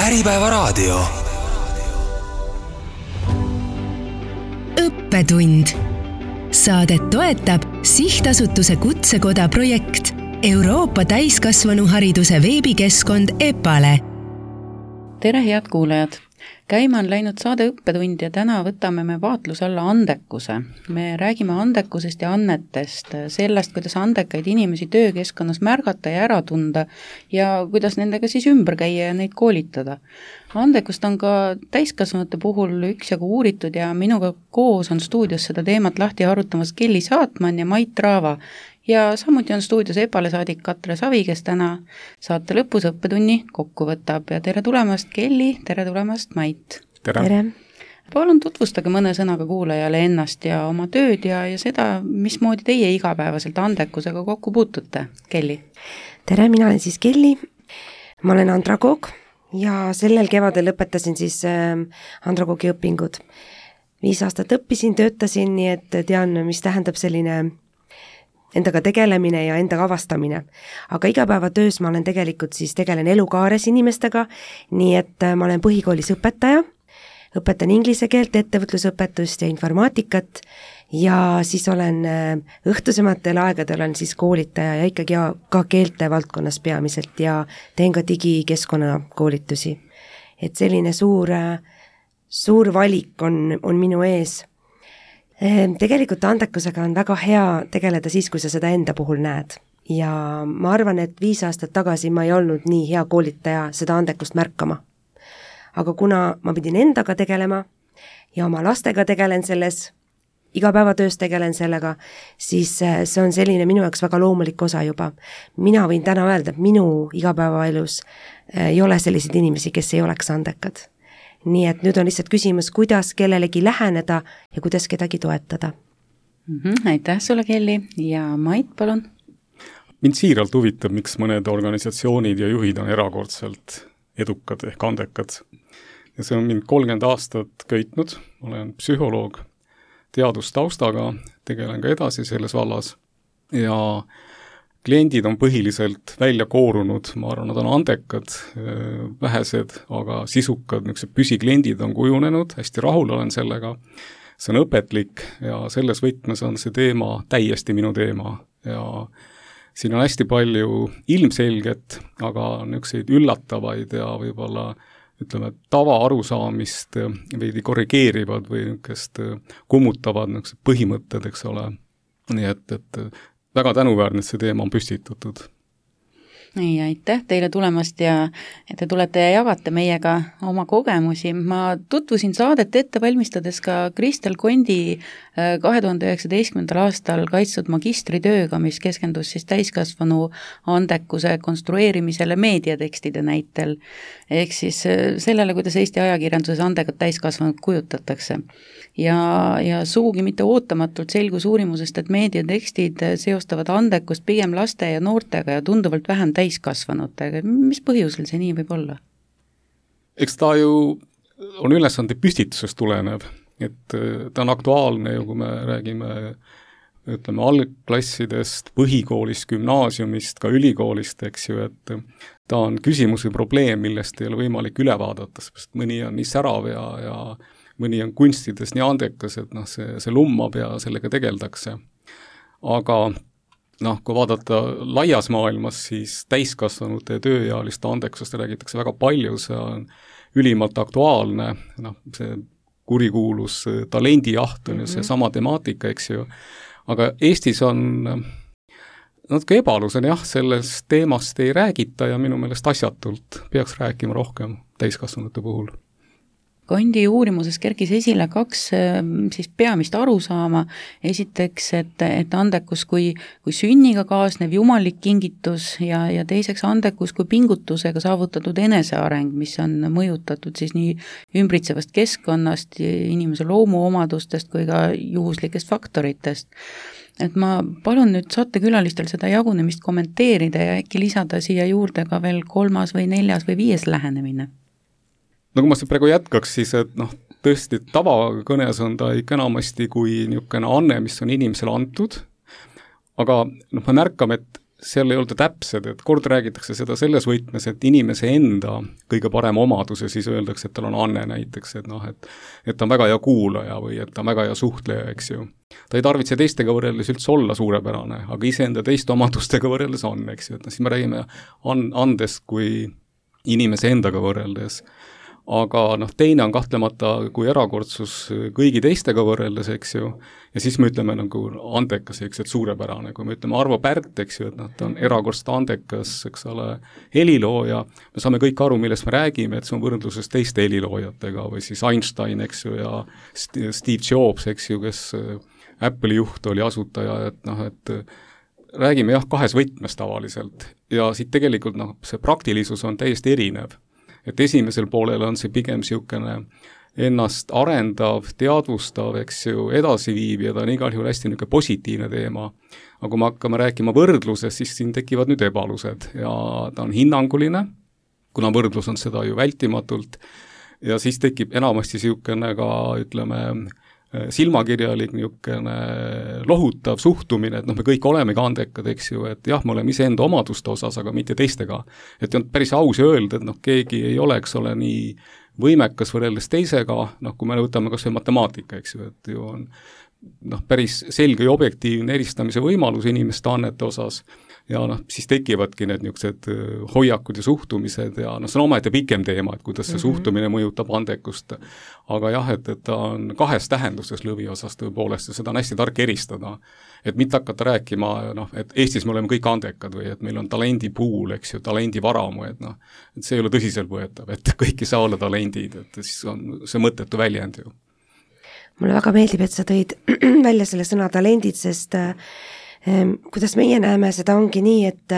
Äripäevaraadio. Õppetund. Saadet toetab Sihtasutuse Kutsekoda projekt Euroopa täiskasvanuhariduse veebikeskkond EPALE. Tere, head kuulajad! Käima on läinud saade Õppetund ja täna võtame me vaatluse alla andekuse. Me räägime andekusest ja annetest, sellest, kuidas andekaid inimesi töökeskkonnas märgata ja ära tunda ja kuidas nendega siis ümber käia ja neid koolitada. Andekust on ka täiskasvanute puhul üksjagu uuritud ja minuga koos on stuudios seda teemat lahti arutamas Kelly Saatman ja Mait Raava. Ja samuti on stuudios EPALE saadik Katre Savi, kes täna saate lõpus õppetunni kokku võtab. Ja tere tulemast, Kelly, tere tulemast, Mait. Tere. Palun tutvustage mõne sõnaga kuulajale ennast ja oma tööd ja seda, mismoodi teie igapäevaselt andekusega kokku puutute, Kelly. Tere, mina olen siis Kelly. Ma olen andragoog ja sellel kevadel lõpetasin siis andragoogi õpingud. 5 aastat õppisin, töötasin, nii et tean, mis tähendab selline endaga tegelemine ja endaga avastamine. Aga igapäevatöös ma olen tegelen elukaares inimestega, nii et ma olen põhikoolis õpetaja, õpetan inglise keelt, ettevõtlusõpetust ja informaatikat ja siis olen õhtusematel aegadel olen siis koolitaja ja ikkagi ka keelte valdkonnas peamiselt ja teen ka digikeskkonna koolitusi. Et selline suur valik on minu ees. Tegelikult andekusega on väga hea tegeleda siis, kui sa seda enda puhul näed. Ja ma arvan, et 5 aastat tagasi ma ei olnud nii hea koolitaja seda andekust märkama. Aga kuna ma pidin endaga tegelema ja oma lastega tegelen selles, igapäevatöös tegelen sellega, siis see on selline minu jaoks väga loomulik osa juba. Mina võin täna öelda, et minu igapäevaelus ei ole selliseid inimesi, kes ei oleks andekad. Nii et nüüd on lihtsalt küsimus, kuidas kellelegi läheneda ja kuidas kedagi toetada. Aitäh sulle, Kelly. Ja Mait, palun. Mind siiralt huvitab, miks mõned organisatsioonid ja juhid on erakordselt edukad ehk andekad. Ja see on mind 30 aastat köitnud. Olen psühholoog teadustaustaga, tegelen ka edasi selles vallas ja kliendid on põhiliselt välja koorunud, ma arvan, nad on andekad, vähesed, aga sisukad, püsikliendid on kujunenud, hästi rahul olen sellega, see on õpetlik ja selles võtmes on see teema täiesti minu teema ja siin on hästi palju ilmselget, aga niisuguseid üllatavaid ja võib-olla tava arusaamist veidi korrigeerivad või niisugust kummutavad põhimõtted, eks ole, nii et väga tänuväärne, et see teema on püstitatud. Nii, aitäh teile tulemast ja et te tulete ja jagate meiega oma kogemusi. Ma tutvusin saadet ette valmistades ka Kristel Kondi 2019. aastal kaitstud magistritööga, mis keskendus siis täiskasvanu andekuse konstrueerimisele meediatekstide näitel. Ehk siis sellele, kuidas Eesti ajakirjanduses andekad täiskasvanud kujutatakse. Ja sugugi mitte ootamatult selgus uurimusest, et meediatekstid seostavad andekust pigem laste ja noortega ja tunduvalt vähem täiskasvanutega. Mis põhjusel see nii võib olla? Eks ta ju on ülesande püstitusest tulenev, et ta on aktuaalne ju, kui me räägime algklassidest, põhikoolist, gümnaasiumist, ka ülikoolist, eks ju, et ta on küsimus või probleem, millest ei ole võimalik üle vaadata, sest mõni on nii särav ja mõni on kunstides nii andekas, et see lummab ja sellega tegeldakse. Aga kui vaadata laias maailmas, siis täiskasvanute ja tööealiste andekusest räägitakse väga palju, see on ülimalt aktuaalne, see kurikuulus talendijaht on ju see sama temaatika, eks ju. Aga Eestis on natuke ebalus on sellest teemast ei räägita ja minu meelest asjatult peaks rääkima rohkem täiskasvanute puhul. Kondi uurimuses kerkis esile 2 siis peamist arusaama. Esiteks, et andekus kui sünniga kaasnev jumalik kingitus ja teiseks andekus kui pingutusega saavutatud eneseareng, mis on mõjutatud siis nii ümbritsevast keskkonnast, inimese loomuomadustest kui ka juhuslikest faktoritest. Et ma palun nüüd saatekülalistel seda jagunemist kommenteerida ja äkki lisada siia juurde ka veel 3. või 4. või 5. lähenemine. No kui ma see praegu jätkaks, siis et tõesti tavakõnes on ta ikka enamasti kui niisugune anne, mis on inimesele antud, aga me märkame, et seal ei olda täpsed, et kord räägitakse seda selles võtmes, et inimese enda kõige parem omadus ja siis öeldakse, et tal on anne näiteks, et noh, et ta on väga hea kuulaja või et ta on väga hea suhtleja, eks ju. Ta ei tarvitse teistega võrreldes üldse olla suurepärane, aga iseenda teiste omadustega võrreldes on, eks ju, et siis me räägime andest kui inimese endaga võrreldes. Aga noh, teine on kahtlemata kui erakordsus kõigi teistega võrreldes, eks ju, ja siis me ütleme nagu andekas, eks, et suurepärane, kui me ütleme Arvo Pärt, eks ju, et noh, ta on erakordselt andekas, eks ole, helilooja, me saame kõik aru, millest me räägime, et see on võrdluses teiste heliloojatega või siis Einstein, eks ju, ja Steve Jobs, eks ju, kes Apple'i juht oli asutaja, et noh, et räägime jah, kahes võtmes tavaliselt ja siit tegelikult noh, see praktilisus on täiesti erinev. Et esimesel poolel on see pigem niisugune ennast arendav, teadvustav, eks ju, edasiviiv ja ta on igal juhul hästi niisugune positiivne teema. Aga kui me hakkame rääkima võrdluses, siis siin tekivad nüüd ebalused ja ta on hinnanguline, kuna võrdlus on seda ju vältimatult ja siis tekib enamasti niisugune ka, ütleme, silmakirjalik niisugune lohutav suhtumine, et noh, me kõik olemegi andekad, eks ju, et jah, me oleme iseenda omaduste osas, aga mitte teistega. Et on päris aus öelda, et noh, keegi ei ole, eks ole, nii võimekas võrreldes teisega, noh, kui me võtame kas või matemaatika, eks ju, et ju on noh, päris selge ja objektiivne eristamise võimalus inimeste annete osas ja noh, siis tekivadki need niisugused hoiakud ja suhtumised ja noh, see on omaette pikem teema, et kuidas see suhtumine mõjutab andekust, aga jah, et ta on kahes tähenduses lõviosas tõepoolest ja seda on hästi tark eristada, et mitte hakata rääkima, noh, et Eestis me oleme kõik andekad või et meil on talendipuul, eks ju, talendivaramu, et noh, et see ei ole tõsiselt võetav, et kõik ei saa olla talendid, et siis on see mõttetu väljend ju. Mulle väga meeldib, et sa tõid välja selle sõna talendid, sest kuidas meie näeme, seda ongi nii, et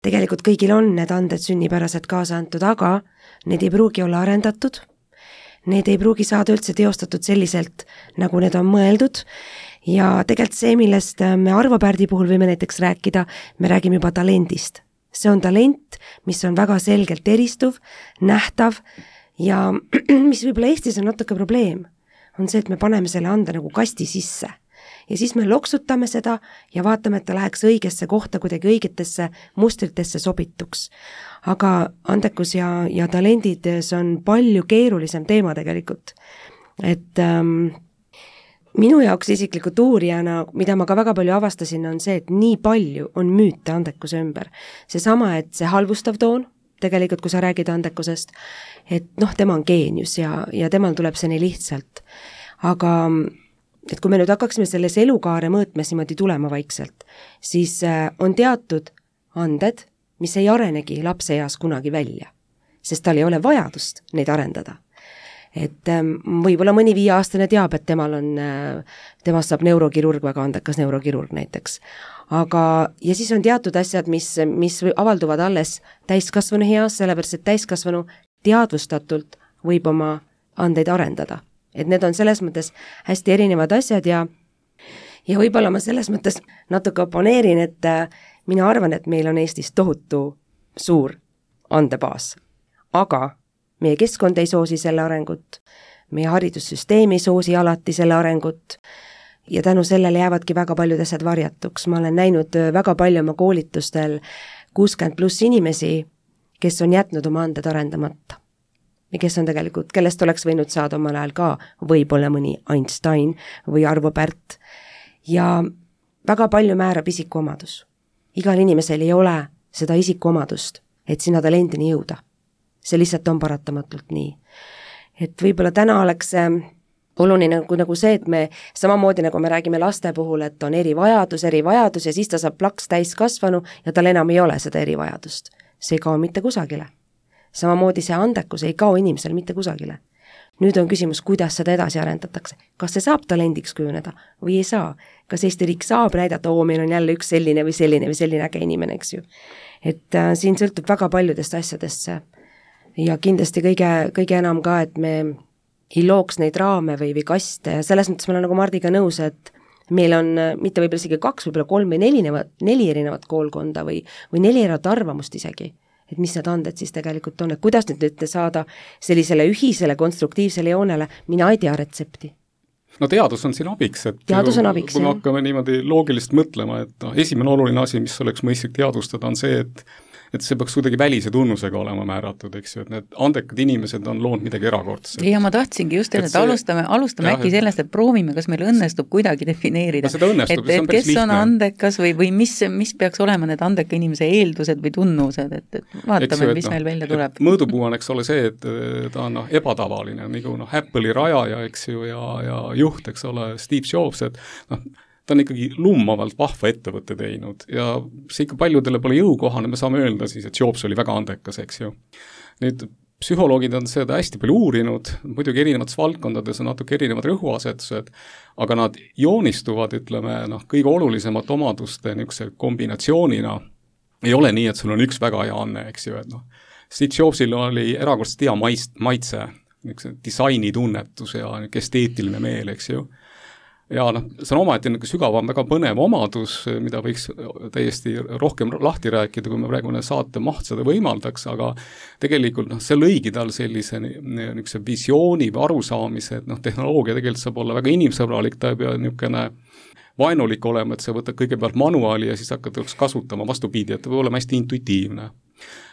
tegelikult kõigil on need anded sünnipäraselt kaasa antud, aga need ei pruugi olla arendatud, need ei pruugi saada üldse teostatud selliselt, nagu need on mõeldud ja tegelikult see, millest me Arvo Pärdi puhul võime näiteks rääkida, me räägime juba talendist. See on talent, mis on väga selgelt eristuv, nähtav ja mis võib-olla Eestis on natuke probleem, on see, et me paneme selle ande nagu kasti sisse. Ja siis me loksutame seda ja vaatame, et ta läheks õigesse kohta, kuidagi õigetesse mustritesse sobituks. Aga andekus ja talendid, see on palju keerulisem teema tegelikult. Et minu jaoks isiklikult uurijana, mida ma ka väga palju avastasin, on see, et nii palju on müüte andekuse ümber. Seesama, et see halvustav toon, tegelikult kui sa räägid andekusest, et noh, tema on geenius ja temal tuleb see nii lihtsalt. Aga et kui me nüüd hakkaksime selles elukaare mõõtmes niimoodi tulema vaikselt, siis on teatud anded, mis ei arenegi lapse eas kunagi välja, sest tal ei ole vajadust neid arendada. Et võib-olla mõni 5-aastane teab, et temast saab neurokirurg, väga andekas neurokirurg näiteks. Aga, ja siis on teatud asjad, mis avalduvad alles täiskasvanu eas, sellepärast, et täiskasvanu teadvustatult võib oma andeid arendada. Et need on selles mõttes hästi erinevad asjad ja võib-olla ma selles mõttes natuke oponeerin, et mina arvan, et meil on Eestis tohutu suur andebaas, aga meie keskkond ei soosi selle arengut, meie haridussüsteem ei soosi alati selle arengut ja tänu sellele jäävadki väga paljud asjad varjatuks. Ma olen näinud väga palju oma koolitustel 60+ inimesi, kes on jätnud oma anded arendamata. Ja kes on tegelikult, kellest oleks võinud saada omal ajal ka võib-olla mõni Einstein või Arvo Pärt. Ja väga palju määrab isikuomadus. Igal inimesel ei ole seda isikuomadust, et sinna talendini jõuda. See lihtsalt on paratamatult nii. Et võib-olla täna oleks oluline nagu see, et me samamoodi nagu me räägime laste puhul, et on erivajadus ja siis ta saab plaks täiskasvanu ja tal enam ei ole seda erivajadust. See ei kao mitte kusagile. Samamoodi see andekus ei kao inimesel mitte kusagile. Nüüd on küsimus, kuidas seda edasi arendatakse. Kas see saab talendiks kujuneda või ei saa? Kas Eesti riik saab näidata, meil on jälle üks selline või selline äge inimene, eks ju. Et siin sõltub väga paljudest asjadest ja kindlasti kõige enam ka, et me ei looks neid raame või kaste ja selles mõttes ma olen nagu Mardiga nõus, et meil on mitte võib-olla isegi 2, võib-olla 3 või 4 erinevat koolkonda või 4 erinevat arvamust isegi. Et mis need anded siis tegelikult on, et kuidas nüüd saada sellisele ühisele konstruktiivsele joonele, mina ei tea retsepti. no teadus on siin abiks, et teadus on abiks, kui me hakkame niimoodi loogiliselt mõtlema, et esimene oluline asi, mis oleks mõistlik teadvustada, on see, et see peaks kuidagi välise tunnusega olema määratud, eks ju, et need andekad inimesed on loonud midagi erakordset. Ja ma tahtsingi just teada, et alustame äkki sellest, et proovime, kas meil õnnestub kuidagi defineerida, et kes on andekas või mis peaks olema need andeka inimese eeldused või tunnused, et vaatame, mis meil välja tuleb. Mõõdupuu on, eks ole see, et ta on ebatavaline, nagu Apple'i rajaja, eks ju, ja juht, eks ole, Steve Jobs, et ta on ikkagi lummavalt vahva ettevõtte teinud ja see ikka paljudele pole jõukohane, me saame öelda siis, et Jobs oli väga andekas, eks ju. Nüüd psühholoogid on seda hästi palju uurinud, muidugi erinevates valdkondades on natuke erinevad rõhuasetused, aga nad joonistuvad, ütleme, kõige olulisemate omaduste niisuguse kombinatsioonina. Ei ole nii, et sul on üks väga hea anne, eks ju, et Steve Jobsil oli erakordselt hea maitse, niisuguse disainitunnetus ja esteetiline meel, eks ju. Ja see on omaette sügavam, väga põnev omadus, mida võiks täiesti rohkem lahti rääkida, kui me praegu saate maht seda võimaldaks, aga tegelikult see lõigi tal sellise niisuguse visiooni või arusaamise, et tehnoloogia tegelikult saab olla väga inimsõbralik, ta ei pea niisugune vaenulik olema, et sa võtad kõigepealt manuaali ja siis hakkad kasutama vastupidi, et ta võib olema hästi intuitiivne.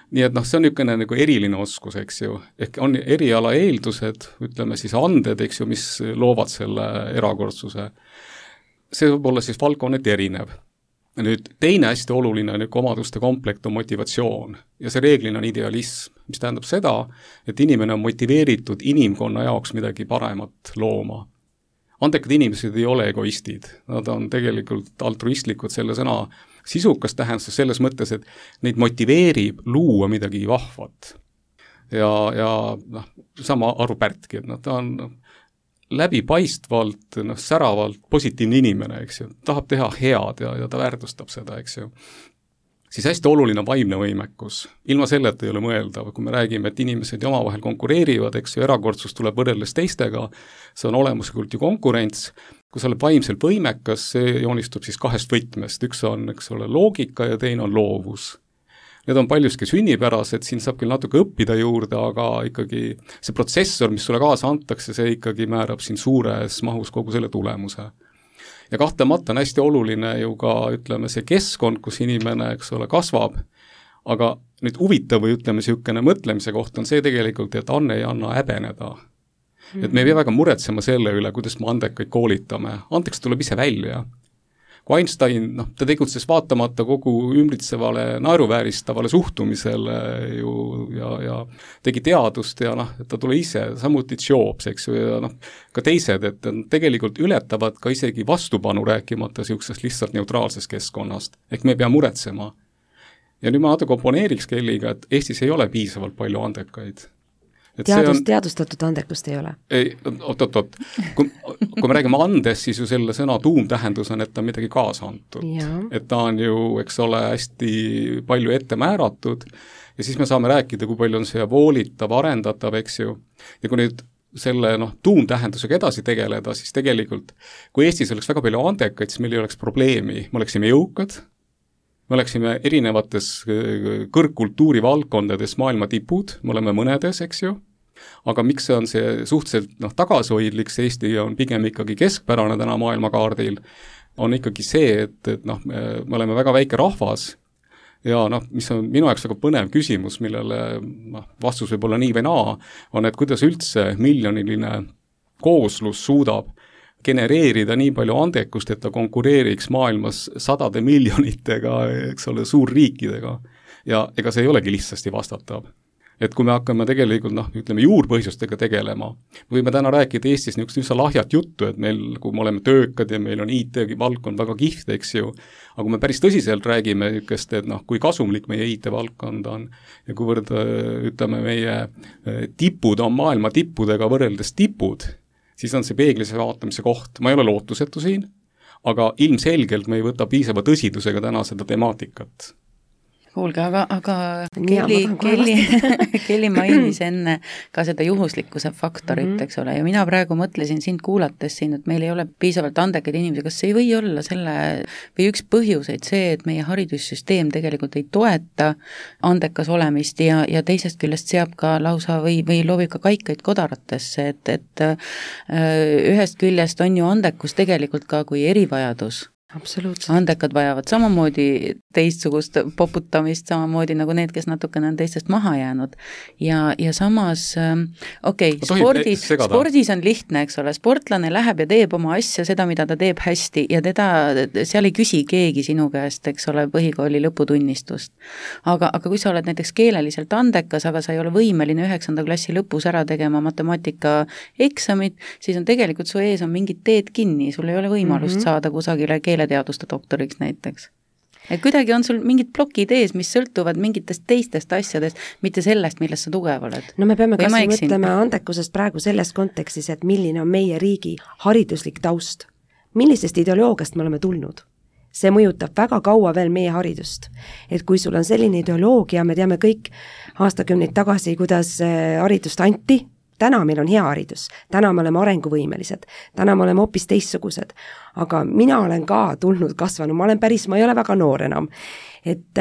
Nii et see on niisugune nagu eriline oskus, eks ju, ehk on eriala eeldused, ütleme siis anded, eks ju, mis loovad selle erakordsuse. See võib olla siis valdkonneti erinev. Nüüd teine hästi oluline omaduste komplekt on motivatsioon ja see reeglina on idealism, mis tähendab seda, et inimene on motiveeritud inimkonna jaoks midagi paremat looma. Andekad inimesed ei ole egoistid, nad on tegelikult altruistlikud selle sõna sisukas tähendus selles mõttes, et neid motiveerib luua midagi vahvat. Ja sama Arvo Pärtki, et ta on läbipaistvalt, säravalt positiivne inimene, eks ju, tahab teha head ja ta väärtustab seda, eks ju. Siis hästi oluline on vaimne võimekus. Ilma selleta ei ole mõeldav, kui me räägime, et inimesed omavahel konkureerivad, eks ju, erakordsus tuleb võrreldes teistega, see on olemuslikult ju konkurents. Kui sa oled vaimselt võimekas, see joonistub siis kahest võtmest, üks on, eks ole, loogika ja teine on loovus. Need on paljuski sünnipärased, siin saab küll natuke õppida juurde, aga ikkagi see protsessor, mis sulle kaasa antakse, see ikkagi määrab siin suures mahus kogu selle tulemuse. Ja kahtlemata on hästi oluline ju ka, ütleme, see keskkond, kus inimene, eks ole, kasvab, aga nüüd huvitav või ütleme, niisugune mõtlemise koht on see tegelikult, et anne ei anna häbeneda. Et me ei pea väga muretsema selle üle, kuidas me andekaid koolitame. Andeks tuleb ise välja. Kui Einstein, ta tegutses vaatamata kogu ümbritsevale naeruvääristavale suhtumisele ju ja tegi teadust ja ta tule ise, samuti Jobs, eks ju, ja ka teised, et tegelikult ületavad ka isegi vastupanu rääkimata niisugusest lihtsalt neutraalsest keskkonnast. Ehk me ei pea muretsema. Ja nüüd ma natuke oponeeriks Kelliga, et Eestis ei ole piisavalt palju andekaid. Teadustatud andekust ei ole? Ei, oot. Kui me räägime andest, siis ju selle sõna tuumtähendus on, et ta on midagi kaasa antud. Et ta on ju, eks ole, hästi palju ette määratud ja siis me saame rääkida, kui palju on see voolitav, arendatav, eks ju. Ja kui nüüd selle tuumtähendusega edasi tegeleda, siis tegelikult, kui Eestis oleks väga palju andekaid, siis meil ei oleks probleemi, me oleksime jõukad, me oleksime erinevates kõrgkultuuri valdkondades maailma tipud, me oleme mõnedes, eks ju, aga miks see on see suhteliselt tagasihoidlik, see Eesti on pigem ikkagi keskpärane täna maailmakaardil, on ikkagi see, et me oleme väga väike rahvas ja mis on minu jaoks väga põnev küsimus, millele vastus võib olla nii või naa, on, et kuidas üldse miljoniline kooslus suudab genereerida nii palju andekust, et ta konkureeriks maailmas sadade miljonitega, eks ole, suurriikidega. Ja ega see ei olegi lihtsasti vastatav. Et kui me hakkame tegelikult, ütleme, juurpõhjustega tegelema, võime täna rääkida Eestis niisugust üsna lahjat juttu, et meil, kui me oleme töökad ja meil on IT-valdkond väga kihvt, eks ju, aga kui me päris tõsiselt räägime niisugust, et kui kasumlik meie IT-valdkond on ja kuivõrd, ütleme, meie tipud on maailma tippudega võrreldes tipud, siis on see peeglise vaatamise koht. Ma ei ole lootusetu siin, aga ilmselgelt me ei võta piisava tõsidusega täna seda temaatikat. kuulge, aga Kelly mainis enne ka seda juhuslikkuse faktorit, eks ole, ja mina praegu mõtlesin sind kuulates siin, et meil ei ole piisavalt andekaid inimesi, kas see ei või olla selle või üks põhjuseid see, et meie haridussüsteem tegelikult ei toeta andekas olemist ja teisest küljest seab ka lausa või loobib ka kaikaid kodaratesse, et ühest küljest on ju andekus tegelikult ka kui erivajadus. Absoluutselt. Andekad vajavad samamoodi teistsugust poputamist, samamoodi nagu need, kes natukene on teistest maha jäänud. Ja samas, spordis on lihtne, eks ole, sportlane läheb ja teeb oma asja, seda, mida ta teeb hästi ja seal ei küsi keegi sinu käest, eks ole, põhikooli lõputunnistust. Aga kui sa oled näiteks keeleliselt andekas, aga sa ei ole võimeline 9. klassi lõpus ära tegema matemaatika eksamit, siis on tegelikult su ees on mingid teed kinni, sul ei ole võimalust saada kusagile keeleteaduste doktoriks näiteks. Et kuidagi on sul mingid plokid ees, mis sõltuvad mingitest teistest asjadest, mitte sellest, millest sa tugev oled. No me peame kas mõtlema andekusest praegu selles kontekstis, et milline on meie riigi hariduslik taust. Millisest ideoloogiast me oleme tulnud? See mõjutab väga kaua veel meie haridust. Et kui sul on selline ideoloogia, me teame kõik aastakümneid tagasi, kuidas haridust anti, täna meil on hea haridus, täna me oleme arenguvõimelised, täna me oleme hoopis teistsugused, aga mina olen ka tulnud kasvanud, ma ei ole väga noor enam, et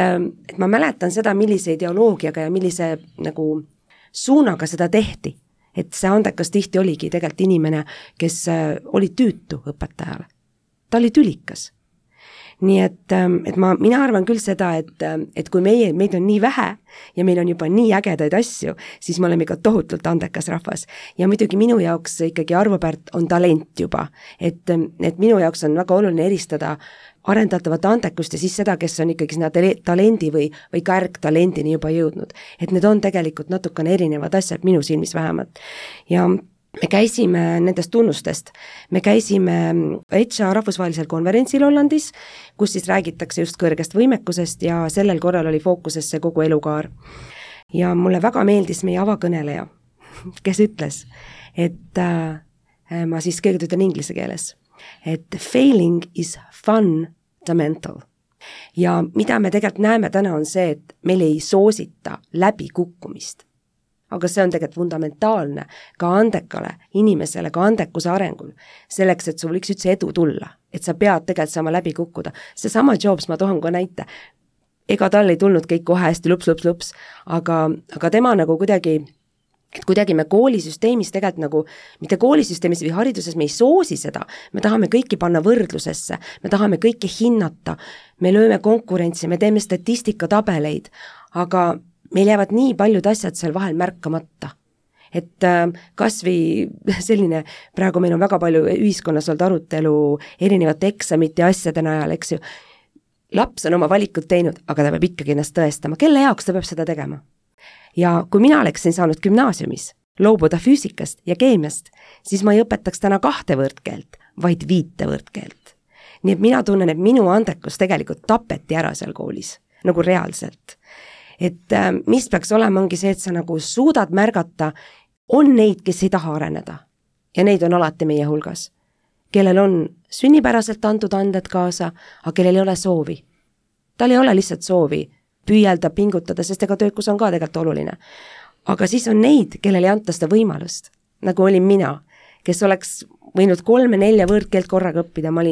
ma mäletan seda, millise ideoloogiaga ja millise nagu suunaga seda tehti, et see andekas tihti oligi tegelikult inimene, kes oli tüütu õpetajale, ta oli tülikas. Nii et mina arvan küll seda, et kui meid on nii vähe ja meil on juba nii ägedaid asju, siis me oleme ikka tohutult andekas rahvas. Ja muidugi minu jaoks ikkagi Arvo Pärt on talent juba, et minu jaoks on väga oluline eristada arendatavat andekust ja siis seda, kes on ikkagi sinna talendi või kärgtalendini juba jõudnud. Et need on tegelikult natukene erinevad asjad, minu silmis vähemalt. Ja me käisime nendest tunnustest, me käisime ETSA rahvusvahelisel konverentsil Hollandis, kus siis räägitakse just kõrgest võimekusest ja sellel korral oli fookusesse kogu elukaar. Ja mulle väga meeldis meie avakõneleja, kes ütles, et ma siis kõigepealt ütlen inglise keeles, et failing is fundamental. Ja mida me tegelikult näeme täna on see, et meil ei soosita läbikukkumist. Aga see on tegelikult fundamentaalne ka andekale inimesele, ka andekuse arengul, selleks, et sul võiks üldse edu tulla, et sa pead tegelikult saama läbi kukkuda. See sama Jobs, ma tohan ka näite, ega tal ei tulnud kõik kohe hästi lups, aga tema nagu kuidagi me koolisüsteemis tegelikult nagu, mitte koolisüsteemis või hariduses me ei soosi seda, me tahame kõiki panna võrdlusesse, me tahame kõike hinnata, me lööme konkurentsi, me teeme statistikatabeleid, aga meil jäävad nii paljud asjad seal vahel märkamata. Et kas või selline, praegu meil on väga palju ühiskonnas olnud arutelu erinevate eksamite ja asjade najal, eks ju. Laps on oma valikud teinud, aga ta peab ikkagi ennast tõestama. Kelle jaoks ta peab seda tegema? Ja kui mina oleksin saanud gümnaasiumis loobuda füüsikast ja keemiast, siis ma ei õpetaks täna 2 võõrkeelt, vaid 5 võõrkeelt. Nii et mina tunnen, et minu andekus tegelikult tapeti ära seal koolis, nagu reaalselt. Et mis peaks olema, ongi see, et sa nagu suudad märgata, on neid, kes ei taha areneda. Ja neid on alati meie hulgas. Kellel on sünnipäraselt antud anded kaasa, aga kellel ei ole soovi. Tal ei ole lihtsalt soovi püüelda, pingutada, sest ega töökus on ka tegelikult oluline. Aga siis on neid, kellel ei anta seda võimalust, nagu olin mina, kes oleks võinud 3-4 võõrkeelt korraga õppida, ma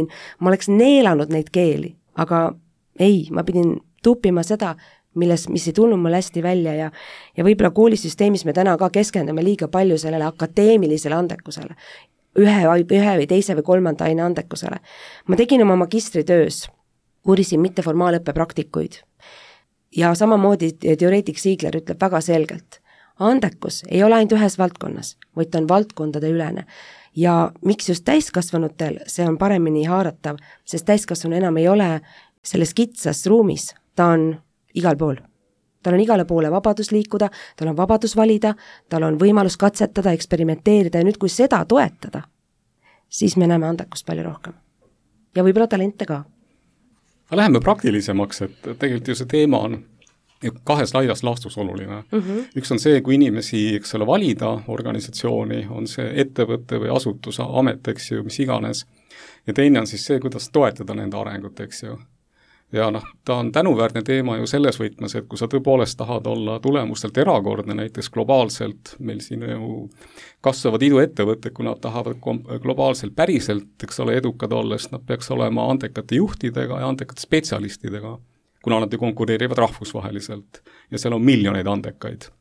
oleks neelanud neid keeli, aga ei, ma pidin tupima seda, mis ei tulnud mulle hästi välja ja võib-olla koolisüsteemis me täna ka keskendume liiga palju sellele akadeemilisele andekusele, ühe või teise või 3. aine andekusele. Ma tegin oma magistritöös, uurisin mitteformaalõppe praktikuid ja samamoodi teoreetik Siegler ütleb väga selgelt, andekus ei ole ainult ühes valdkonnas, vaid ta on valdkondade ülene. Ja miks just täiskasvanutel see on paremini haaratav, sest täiskasvanu enam ei ole selles kitsas ruumis, ta on igal pool. Tal on igale poole vabadus liikuda, tal on vabadus valida, tal on võimalus katsetada, eksperimenteerida ja nüüd kui seda toetada, siis me näeme andekust palju rohkem. Ja võib-olla talente ka. Läheme praktilisemaks, et tegelikult ju see teema on 2 laias laastus oluline. Üks on see, kui inimesi, eks ole, valida organisatsiooni, on see ettevõtte või asutuse amet, eks ju, mis iganes. Ja teine on siis see, kuidas toetada nende arengut, eks ju. ja ta on tänuväärne teema ju selles võtmes, et kui sa tõepoolest tahad olla tulemustelt erakordne, näiteks globaalselt, meil siin ju kasvavad iduettevõtted, kui nad tahavad globaalselt päriselt, eks ole, edukad olles, nad peaks olema andekate juhtidega ja andekate spetsialistidega, kuna nad ju konkureerivad rahvusvaheliselt ja seal on miljoneid andekaid.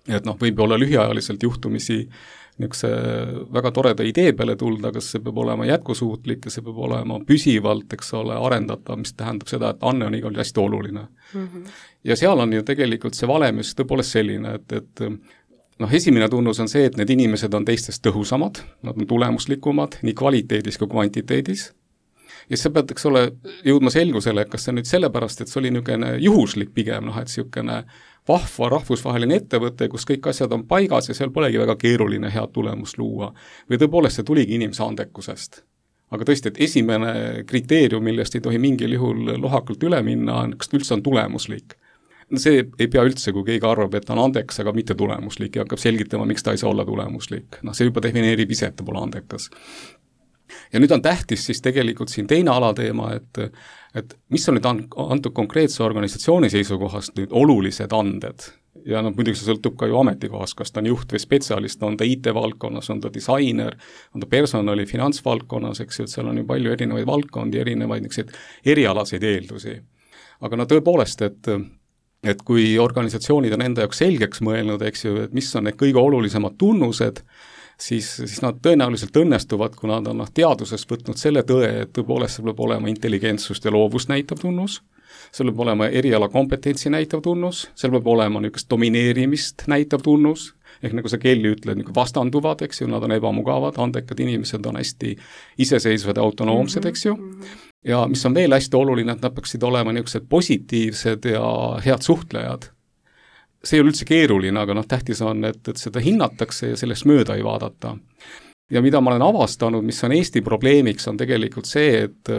Et võib olla lühiajaliselt juhtumisi niisuguse väga toreda idee peale tulda, kas see peab olema jätkusuutlik ja see peab olema püsivalt, eks ole, arendatav, mis tähendab seda, et anne on igal hästi oluline. Ja seal on ju tegelikult see valem just tõepoolest selline, et esimene tunnus on see, et need inimesed on teistest tõhusamad, nad on tulemuslikumad nii kvaliteedis kui kvantiteedis. Ja sa pead, eks ole, jõudma selgusele, et kas see nüüd sellepärast, et see oli niisugune juhuslik pigem, et niisugune vahva rahvusvaheline ettevõte, kus kõik asjad on paigas ja seal polegi väga keeruline head tulemust luua. Või tõepoolest see tuligi inimese andekusest. Aga tõesti, et esimene kriteerium, millest ei tohi mingil juhul lohakalt üle minna, on, kas üldse on tulemuslik. See ei pea üldse, kui keegi arvab, et ta on andeks, aga mitte tulemuslik ja hakkab selgitama, miks ta ei saa olla tulemuslik. See juba defineerib ise, et ta pole andekas. Ja nüüd on tähtis siis tegelikult siin teine alateema, et mis on nüüd antud konkreetse organisatsiooni seisukohast nüüd olulised anded. Ja muidugi see sõltub ka ju ametikohast, kas ta on juht või spetsialist, on ta IT-valdkonnas, on ta disainer, on ta personali finantsvaldkonnas, eks ju, et seal on ju palju erinevaid valdkondi, erinevaid erialaseid eeldusi. Aga tõepoolest, et kui organisatsioonid on enda jaoks selgeks mõelnud, eks ju, et mis on need kõige olulisemad tunnused, siis nad tõenäoliselt õnnestuvad, kui nad on teadusest võtnud selle tõe, et tõepoolest see peab olema intelligentsust ja loovust näitav tunnus, seal peab olema eriala kompetentsi näitav tunnus, seal peab olema niisugust domineerimist näitav tunnus, ehk nagu sa Kelly ütled, vastanduvad, eks ju, nad on ebamugavad, andekad inimesed on hästi iseseisvad ja autonoomsed, eks ju, ja mis on veel hästi oluline, et nad peaksid olema niisugused positiivsed ja head suhtlejad. See ei ole üldse keeruline, aga tähtis on, et seda hinnatakse ja sellest mööda ei vaadata. Ja mida ma olen avastanud, mis on Eesti probleemiks, on tegelikult see, et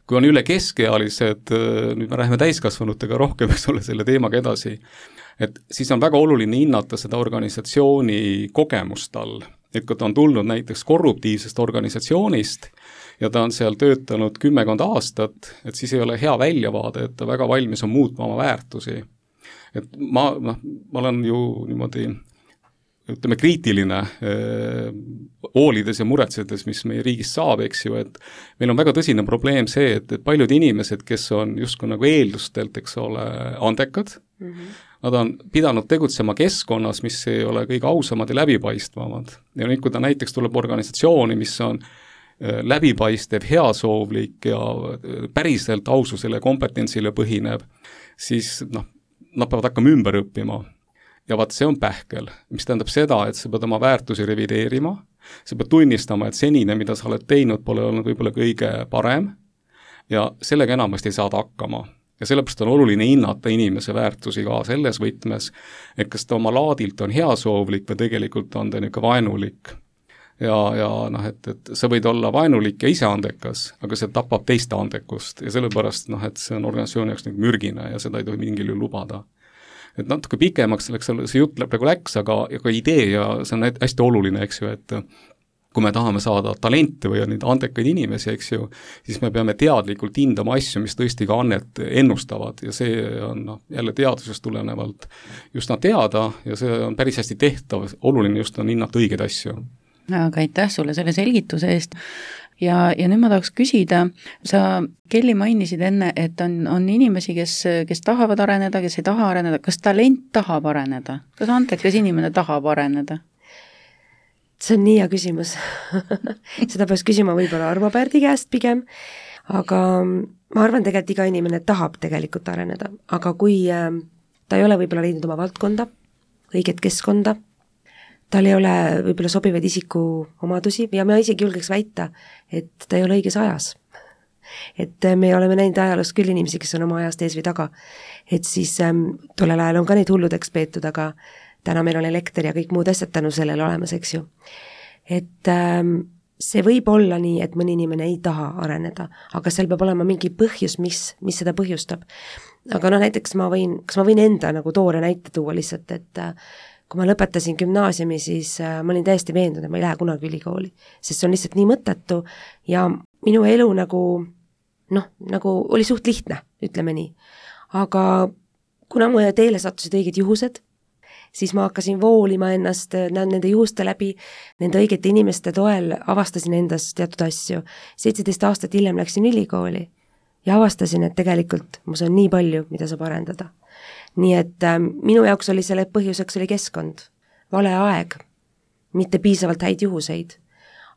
kui on üle keskealised, nüüd me räägime täiskasvanutega rohkem, eks ole, selle teemaga edasi, et siis on väga oluline hinnata seda organisatsiooni kogemust all. Et kui ta on tulnud näiteks korruptiivsest organisatsioonist ja ta on seal töötanud 10 aastat, et siis ei ole hea väljavaade, et ta väga valmis on muutma oma väärtusi. Et ma olen ju niimoodi, ütleme, kriitiline hoolides ja muretsedes, mis meie riigis saab, eks ju, et meil on väga tõsine probleem see, et paljud inimesed, kes on justkui nagu eeldustelt, eks ole, andekad, nad on pidanud tegutsema keskkonnas, mis ei ole kõige ausamad ja läbipaistvamad. Ja nüüd, kui ta näiteks tuleb organisatsiooni, mis on läbipaistev, heasoovlik ja päriselt aususele ja kompetentsile põhineb, siis nad peavad hakkama ümber õppima. Ja vaat see on pähkel, mis tähendab seda, et sa pead oma väärtusi revideerima, sa pead tunnistama, et senine, mida sa oled teinud, pole olnud võib-olla kõige parem ja sellega enamasti ei saada hakkama. Ja sellepärast on oluline hinnata inimese väärtusi ka selles võtmes, et kas ta oma laadilt on heasoovlik või tegelikult on ta niisugune vaenulik. Ja et sa võid olla vaenulik ja ise andekas, aga see tapab teiste andekust ja sellepärast, et see on organisatsiooni jaoks mürgine ja seda ei tohi mingil juhul lubada. Et natuke pikemaks selleks, see jutt praegu läks, aga idee ja see on hästi oluline, eks ju, et kui me tahame saada talente või neid andekaid inimesi, eks ju, siis me peame teadlikult hindama asju, mis tõesti ka annet ennustavad ja see on jälle teadusest tulenevalt just teada ja see on päris hästi tehtav, oluline just on hinnata õigeid asju. Aga aitäh sulle selle selgituse eest ja nüüd ma tahaks küsida, sa Kelly mainisid enne, et on inimesi, kes tahavad areneda, kes ei taha areneda, kas talent tahab areneda? Kas antekas inimene tahab areneda? See on nii hea küsimus. Seda peaks küsima võib-olla Arvo Pärdi käest pigem, aga ma arvan tegelikult iga inimene tahab tegelikult areneda, aga kui ta ei ole võib-olla leidnud oma valdkonda, õiget keskkonda, tal ei ole võib-olla sobivaid isiku omadusi ja ma isegi julgeks väita, et ta ei ole õiges ajas. Et me oleme näinud ajaloos küll inimesi, kes on oma ajast ees või taga, et siis tollel ajal on ka neid hulludeks peetud, aga täna meil on elekter ja kõik muud asjad tänu sellele olemas, eks ju. Et see võib olla nii, et mõni inimene ei taha areneda, aga seal peab olema mingi põhjus, mis seda põhjustab. Aga näiteks kas ma võin enda nagu toore näite tuua lihtsalt, et kui ma lõpetasin gümnaasiumi, siis ma olin täiesti veendunud, et ma ei lähe kunagi ülikooli, sest see on lihtsalt nii mõttetu ja minu elu nagu oli suht lihtne, ütleme nii. Aga kuna mu teele sattusid õiged juhused, siis ma hakkasin voolima ennast nende juhuste läbi, nende õigete inimeste toel avastasin endas teatud asju. 17 aastat hiljem läksin ülikooli ja avastasin, et tegelikult mus on nii palju, mida saab arendada. Nii et minu jaoks oli selle põhjuseks oli keskkond, vale aeg, mitte piisavalt häid juhuseid.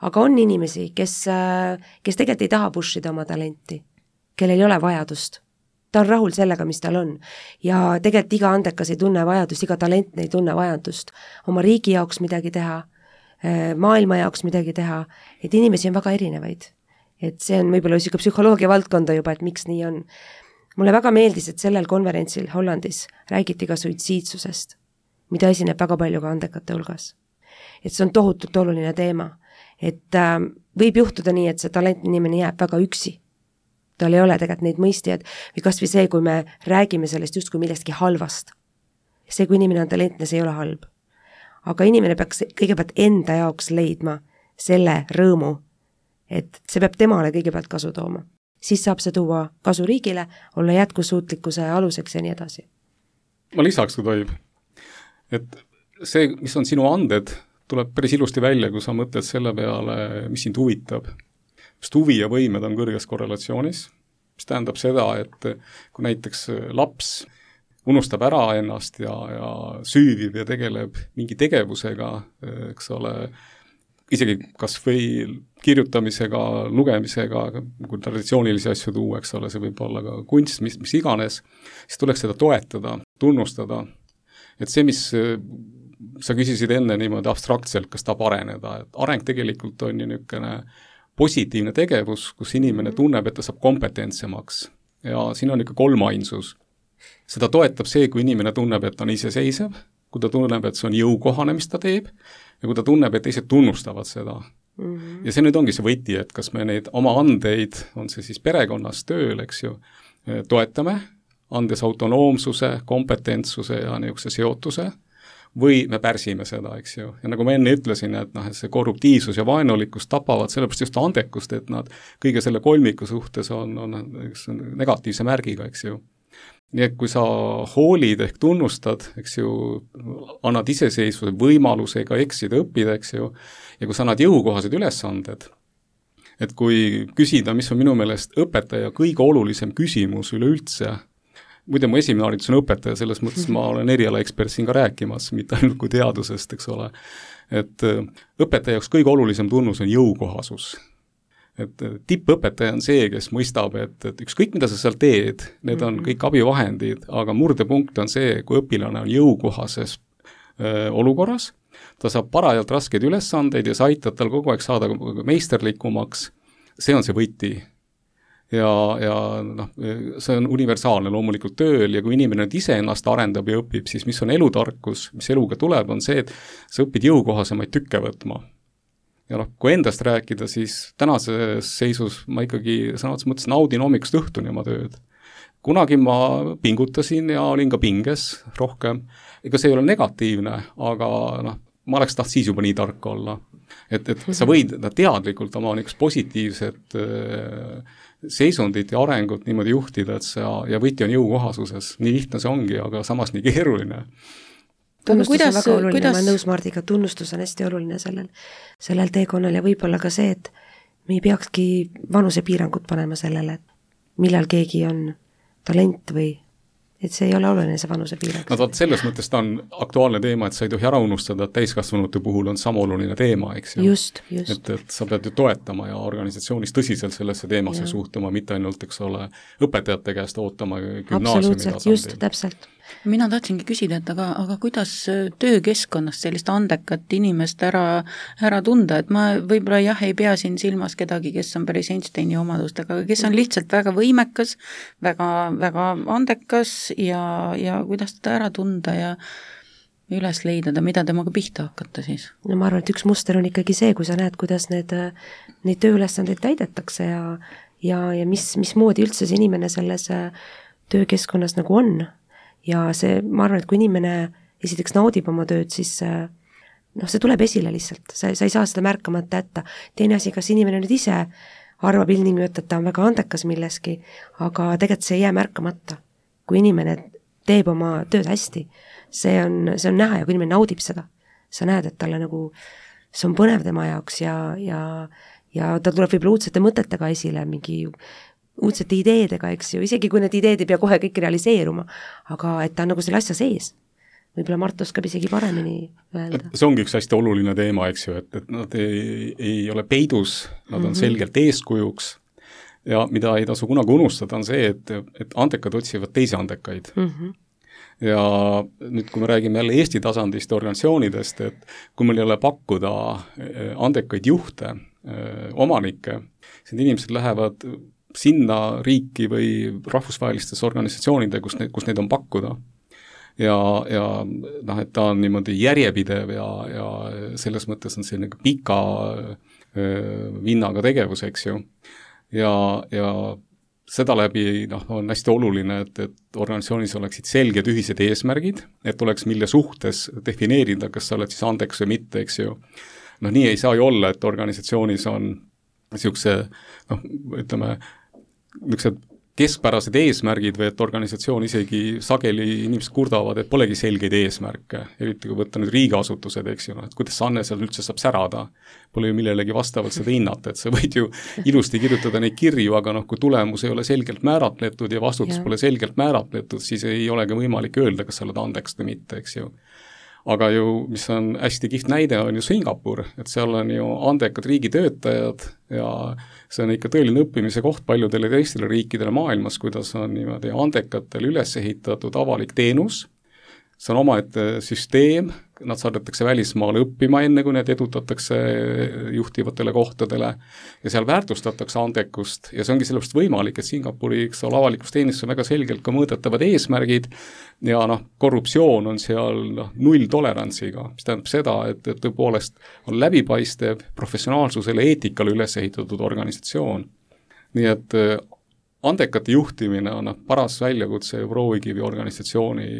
Aga on inimesi, kes tegelikult ei taha pushida oma talenti, kellel ei ole vajadust. Ta on rahul sellega, mis tal on. Ja tegelikult iga andekas ei tunne vajadust, iga talent ei tunne vajadust oma riigi jaoks midagi teha, maailma jaoks midagi teha, et inimesi on väga erinevaid. Et see on võib-olla siuke psühholoogia valdkonda juba, et miks nii on. Mulle väga meeldis, et sellel konverentsil Hollandis räägiti ka suitsiidsusest, mida esineb väga palju ka andekate hulgas. Et see on tohutult oluline teema, et võib juhtuda nii, et see talentne inimene jääb väga üksi. Tal ei ole tegelikult neid mõistjad või kas või see, kui me räägime sellest justkui millestki halvast. See, kui inimene on talentne, see ei ole halb. Aga inimene peaks kõigepealt enda jaoks leidma selle rõõmu, et see peab temale kõigepealt kasu tooma. Siis saab see tuua kasu riigile, olla jätkusuutlikkuse aluseks ja nii edasi. Ma lisaks, kui tohib, et see, mis on sinu anded, tuleb päris ilusti välja, kui sa mõtled selle peale, mis sind huvitab. Sest huvi ja võimed on kõrges korrelatsioonis, mis tähendab seda, et kui näiteks laps unustab ära ennast ja süüvib ja tegeleb mingi tegevusega, eks ole, isegi kas või kirjutamisega, lugemisega, kui traditsioonilisi asju tuua, eks ole, see võib olla ka kunst, mis iganes, siis tuleks seda toetada, tunnustada. Et see, mis sa küsisid enne niimoodi abstraktselt, kas tahab areneda, et areng tegelikult on ju niisugune positiivne tegevus, kus inimene tunneb, et ta saab kompetentsemaks. Ja siin on ikka kolmainsus. Seda toetab see, kui inimene tunneb, et ta on iseseisev, kui ta tunneb, et see on jõukohane, mis ta teeb, ja kui ta tunneb, et teised tunnustavad seda. Ja see nüüd ongi see võti, et kas me neid oma andeid, on see siis perekonnas tööl, eks ju, toetame, andes autonoomsuse, kompetentsuse ja niisuguse seotuse, või me pärsime seda, eks ju. Ja nagu ma enne ütlesin, et see korruptiivsus ja vaenulikkus tapavad sellepärast just andekust, et nad kõige selle kolmiku suhtes on negatiivse märgiga, eks ju. Nii et kui sa hoolid ehk tunnustad, eks ju, annad iseseisvuse võimalusega eksida, õppida, eks ju, ja kui sa annad jõukohased ülesanded, et kui küsida, mis on minu meelest õpetaja kõige olulisem küsimus üleüldse, muide, mu esimene haridus on õpetaja, selles mõttes ma olen erialaekspert siin ka rääkimas, mitte ainult kui teadusest, eks ole. Et õpetaja jaoks kõige olulisem tunnus on jõukohasus. Et tippõpetaja on see, kes mõistab, et ükskõik, mida sa seal teed, need on kõik abivahendid, aga murdepunkt on see, kui õpilane on jõukohases olukorras, ta saab parajalt raskeid ülesandeid ja sa aitad tal kogu aeg saada meisterlikumaks, see on see võti. Ja see on universaalne loomulikult tööl ja kui inimene nüüd ise ennast arendab ja õpib, siis mis on elutarkus, mis eluga tuleb, on see, et sa õpid jõukohasemaid tükke võtma. Ja kui endast rääkida, siis tänases seisus ma ikkagi sõna otseses mõttes naudin hommikust õhtuni oma tööd. Kunagi ma pingutasin ja olin ka pinges rohkem. Ega see ei ole negatiivne, aga ma oleks taht siis juba nii tark olla. Et sa võid teadlikult oma niisugust positiivset seisundit ja arengut niimoodi juhtida, et ja võti on jõukohasuses. Nii lihtne see ongi, aga samas nii keeruline. Tunnustus on väga oluline, ma nõus Mardiga, tunnustus on hästi oluline sellel teekonnal ja võib-olla ka see, et me ei peakski vanusepiirangut panema sellele, et millal keegi on talent või et see ei ole oluline, see vanusepiirang. Selles mõttes ta on aktuaalne teema, et sa ei tohi ära unustada, et täiskasvanute puhul on sama oluline teema, eks ju. Just. Et sa pead ju toetama ja organisatsioonis tõsiselt sellesse teemasse suhtuma, mitte ainult, eks ole, õpetajate käest ootama gümnaasiumi tasandil. Just, täpselt. Mina tahtsingi küsida, et aga kuidas töökeskkonnast sellist andekat inimest ära tunda, et ma võib-olla ei pea siin silmas kedagi, kes on päris Einsteini omadustega, kes on lihtsalt väga võimekas, väga, väga andekas ja kuidas teda ära tunda ja üles leida, mida temaga pihta hakata siis? No ma arvan, et üks muster on ikkagi see, kui sa näed, kuidas neid tööülesandeid täidetakse ja mismoodi üldse see inimene selles töökeskkonnas nagu on. Ja see, ma arvan, et kui inimene esiteks naudib oma tööd, siis see tuleb esile lihtsalt, sa ei saa seda märkamata jätta. Teine asi, kas inimene nüüd ise arvab ilmtingimata, et ta on väga andekas milleski, aga tegelikult see ei jää märkamata. Kui inimene teeb oma tööd hästi, see on näha ja kui inimene naudib seda, sa näed, et talle nagu, see on põnev tema jaoks ja ta tuleb võib-olla uudsete mõtetega esile, mingi uudsete ideedega, eks ju, isegi kui need ideed ei pea kohe kõik realiseeruma, aga et ta on nagu selle asja sees. Võib-olla Mart oskab isegi paremini öelda. See ongi üks hästi oluline teema, eks ju, et nad ei ole peidus, nad on selgelt eeskujuks ja mida ei tasu kunagi unustada on see, et andekad otsivad teisi andekaid. Ja nüüd, kui me räägime jälle Eesti tasandist organisatsioonidest, et kui meil ei ole pakkuda andekaid juhte, omanikke, siis inimesed lähevad sinna riiki või rahvusvahelistes organisatsioonide, kus neid on pakkuda. Ja noh, et ta on niimoodi järjepidev ja selles mõttes on see nagu pika vinnaga tegevus, eks ju. Ja seda läbi on hästi oluline, et organisatsioonis oleksid selged ühised eesmärgid, et oleks mille suhtes defineerida, kas sa oled siis andeks või mitte, eks ju. Nii ei saa ju olla, et organisatsioonis on niisuguse, ütleme, niisugused keskpärased eesmärgid või et organisatsioon isegi sageli inimesed kurdavad, et polegi selgeid eesmärke, eriti kui võtta nüüd riigiasutused, eks ju, et kuidas see Anne seal üldse saab särada, pole ju millelegi vastavalt seda hinnata, et sa võid ju ilusti kirjutada neid kirju, aga kui tulemus ei ole selgelt määratletud ja vastutus pole selgelt määratletud, siis ei olegi võimalik öelda, kas sa oled andeks või mitte, eks ju. Aga ju, mis on hästi kihvt näide, on ju Singapur, et seal on ju andekad riigitöötajad ja see on ikka tõeline õppimise koht paljudele teistele riikidele maailmas, kuidas on niimoodi andekatel üles ehitatud avalik teenus, see on omaette süsteem, nad saadetakse välismaale õppima enne, kui need edutatakse juhtivatele kohtadele ja seal väärtustatakse andekust ja see ongi sellepärast võimalik, et Singapuri avalikus teenistus on väga selgelt ka mõõdetavad eesmärgid ja korruptsioon on seal null tolerantsiga, mis tähendab seda, et tõepoolest on läbipaistev professionaalsusele, eetikale üles ehitatud organisatsioon. Nii et andekate juhtimine on paras väljakutse Proovikivi organisatsiooni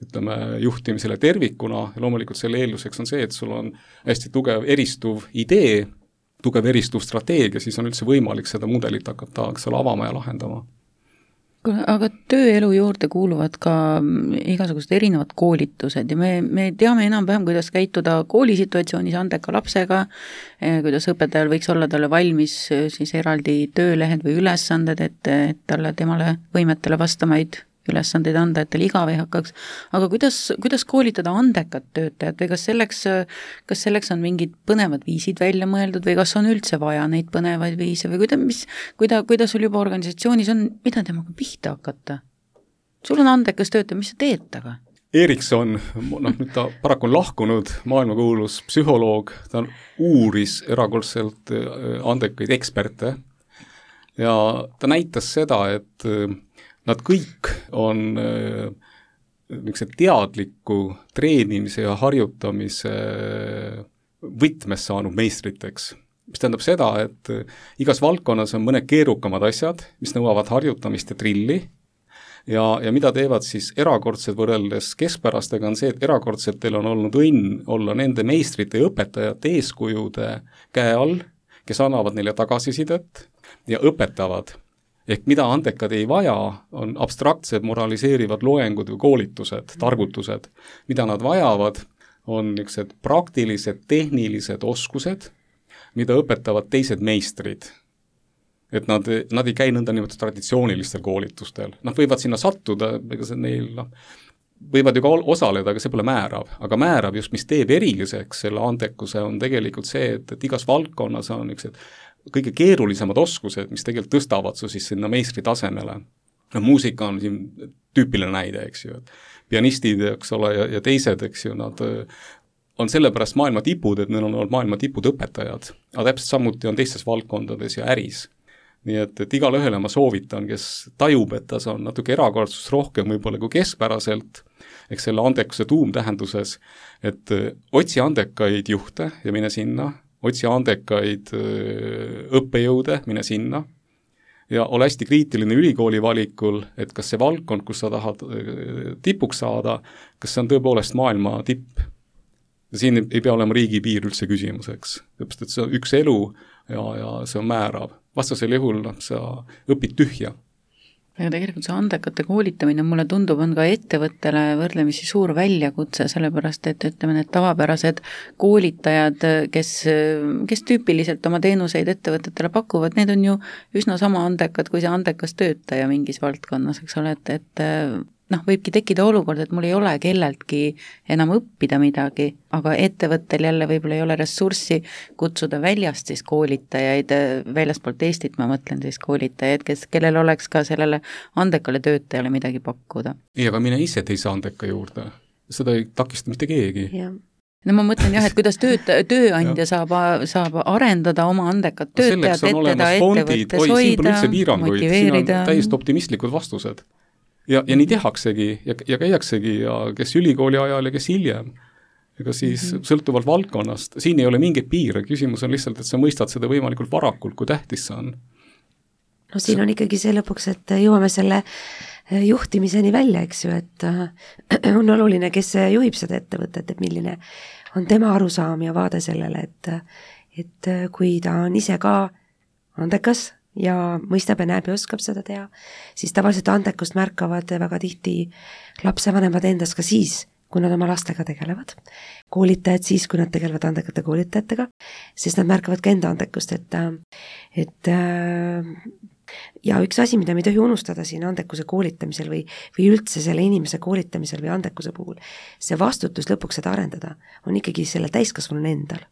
ütleme, juhtimisele tervikuna ja loomulikult selle eelduseks on see, et sul on hästi tugev eristuv idee, tugev eristuv strateegia, siis on üldse võimalik seda mudelit hakata avama ja lahendama. Aga tööelu juurde kuuluvad ka igasugused erinevad koolitused ja me teame enam-vähem, kuidas käituda koolisituatsioonis andeka lapsega, kuidas õpetajal võiks olla talle valmis siis eraldi töölehed või ülesanded, et temale võimetele vastamaid ülesandeid anda, et tal igav ei hakkaks. Aga kuidas koolitada andekat töötajat või kas selleks on mingid põnevad viisid välja mõeldud või kas on üldse vaja neid põnevaid viise või kuidas sul juba organisatsioonis on, mida temaga pihta hakata? Sul on andekas töötaja, mis sa teed taga? Erikson, nüüd ta paraku on lahkunud, maailmakuulus psühholoog, ta uuris erakordselt andekaid eksperte ja ta näitas seda, et nad kõik on teadliku treenimise ja harjutamise võtmes saanud meistriteks. Mis tähendab seda, et igas valdkonnas on mõned keerukamad asjad, mis nõuavad harjutamist ja trilli ja mida teevad siis erakordsed võrreldes keskpärastega on see, et erakordsetel on olnud õnn olla nende meistrite ja õpetajate eeskujude käe all, kes annavad neile tagasisidet ja õpetavad. Ehk mida andekad ei vaja, on abstraktsed moraliseerivad loengud või koolitused, targutused. Mida nad vajavad, on niisugused praktilised, tehnilised oskused, mida õpetavad teised meistrid. Et nad ei käi nõnda niimoodi traditsioonilistel koolitustel. Nad võivad sinna sattuda, ega see neil võivad ju ka osaleda, aga see pole määrav. Aga määrav just, mis teeb eriliseks selle andekuse, on tegelikult see, et igas valdkonnas on niisugused kõige keerulisemad oskused, mis tegelikult tõstavad su siis sinna meistri tasemele. Muusika on siin tüüpiline näide, eks ju, et pianistid, eks ole, ja teised, eks ju, nad on sellepärast maailma tipud, et neil on olnud maailma tipud õpetajad, aga täpselt samuti on teistes valdkondades ja äris. Nii et igale ühele ma soovitan, kes tajub, et ta on natuke erakordsust rohkem võib-olla kui keskpäraselt, eks selle andekuse tuumtähenduses, et otsi andekaid juhte ja mine sinna, otsi andekaid õppejõude, mine sinna ja ole hästi kriitiline ülikooli valikul, et kas see valdkond, kus sa tahad tipuks saada, kas see on tõepoolest maailma tipp. Ja siin ei pea olema riigipiir üldse küsimuseks, et see on üks elu ja see on määrav. vastasel juhul sa õpid tühja. Aga tegelikult see andekate koolitamine mulle tundub, on ka ettevõttele võrdlemisi suur väljakutse, sellepärast et ütleme, need tavapärased koolitajad, kes tüüpiliselt oma teenuseid ettevõtetele pakuvad, need on ju üsna sama andekad kui see andekas töötaja mingis valdkonnas, eks ole, et võibki tekkida olukord, et mul ei ole kelleltki enam õppida midagi, aga ettevõttel jälle võib-olla ei ole ressurssi kutsuda väljast siis koolitajaid, väljaspoolt Eestit ma mõtlen siis koolitajaid, kellel oleks ka sellele andekale töötajale midagi pakkuda. Ei, aga mine ise teise andeka juurde, seda ei takista mitte keegi. No ma mõtlen jah, et kuidas tööandja saab arendada oma andekat töötajat, et teda ettevõttes hoida, motiveerida. Täiesti optimistlikud vastused. Ja nii tehaksegi ja käiaksegi ja kes ülikooli ajal ja kes hiljem. Ega siis sõltuvalt valdkonnast, siin ei ole mingeid piire, küsimus on lihtsalt, et sa mõistad seda võimalikult varakult, kui tähtis see on. No siin on ikkagi see lõpuks, et jõuame selle juhtimiseni välja, eks ju, et on oluline, kes juhib seda ettevõtet, et milline on tema arusaam ja vaade sellele, et kui ta on ise ka andekas ja mõistab ja näeb ja oskab seda teha, siis tavaliselt andekust märkavad väga tihti lapsevanemad endas ka siis, kui nad oma lastega tegelevad. Koolitajad siis, kui nad tegelevad andekate koolitajatega, siis nad märkavad ka enda andekust, et ja üks asi, mida me ei tohi unustada siin andekuse koolitamisel või üldse selle inimese koolitamisel või andekuse puhul, see vastutus lõpuks seda arendada on ikkagi selle täiskasvanu endal.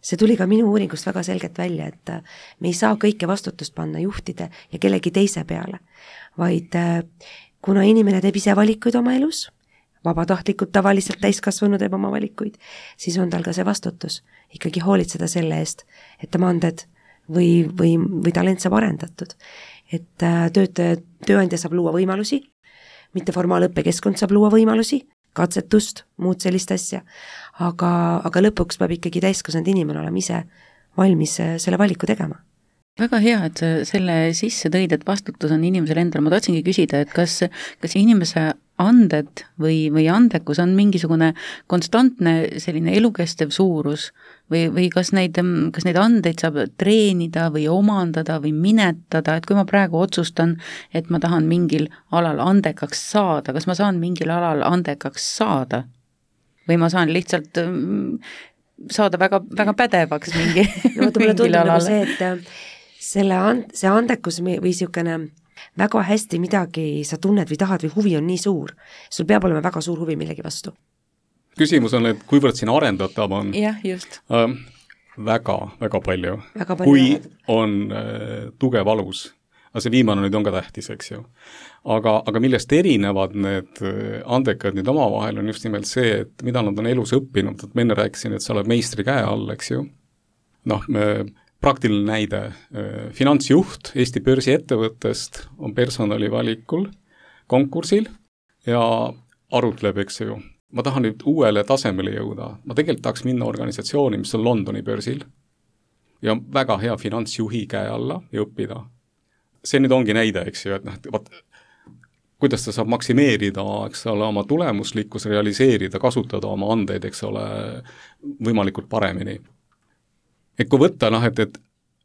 See tuli ka minu uuringust väga selgelt välja, et me ei saa kõike vastutust panna juhtide ja kellegi teise peale, vaid kuna inimene teeb ise valikuid oma elus, vabatahtlikult tavaliselt täiskasvanu teeb oma valikuid, siis on tal ka see vastutus ikkagi hoolitseda selle eest, et tema anded või talent saab arendatud. Et tööandja saab luua võimalusi, mitte formaalõppekeskkond saab luua võimalusi, katsetust, muud sellist asja, aga lõpuks peab ikkagi täiskasvanud inimene olema ise valmis selle valiku tegema. Väga hea, et sa selle sisse tõid, et vastutus on inimesel endal. Ma tahtsingi küsida, et kas inimese anded või andekus on mingisugune konstantne selline elukestev suurus või kas neid andeid saab treenida või omandada või minetada, et kui ma praegu otsustan, et ma tahan mingil alal andekaks saada, kas ma saan mingil alal andekaks saada või ma saan lihtsalt saada väga, väga pädevaks mingil alal? See, et see andekus või siukene väga hästi midagi sa tunned või tahad või huvi on nii suur, sul peab olema väga suur huvi millegi vastu. Küsimus on, et kuivõrd siin arendatav on? Jah, just. Väga palju. Kui on tugev alus, aga see viimane nüüd on ka tähtis, eks ju. Aga millest erinevad need andekad nüüd omavahel on just nimelt see, et mida nad on elus õppinud, et ma enne rääkisin, et sa oled meistri käe all, eks ju. Praktiline näide, finantsjuht Eesti börsiettevõttest on personali valikul konkursil ja arutleb, eks ju. Ma tahan nüüd uuele tasemele jõuda. Ma tegelikult tahaks minna organisatsiooni, mis on Londoni börsil ja väga hea finantsjuhi käe alla ja õppida. See nüüd ongi näide, eks ju, et kuidas ta saab maksimeerida, eks ole, oma tulemuslikkus, realiseerida, kasutada oma andeid, eks ole, võimalikult paremini. Et kui võtta, et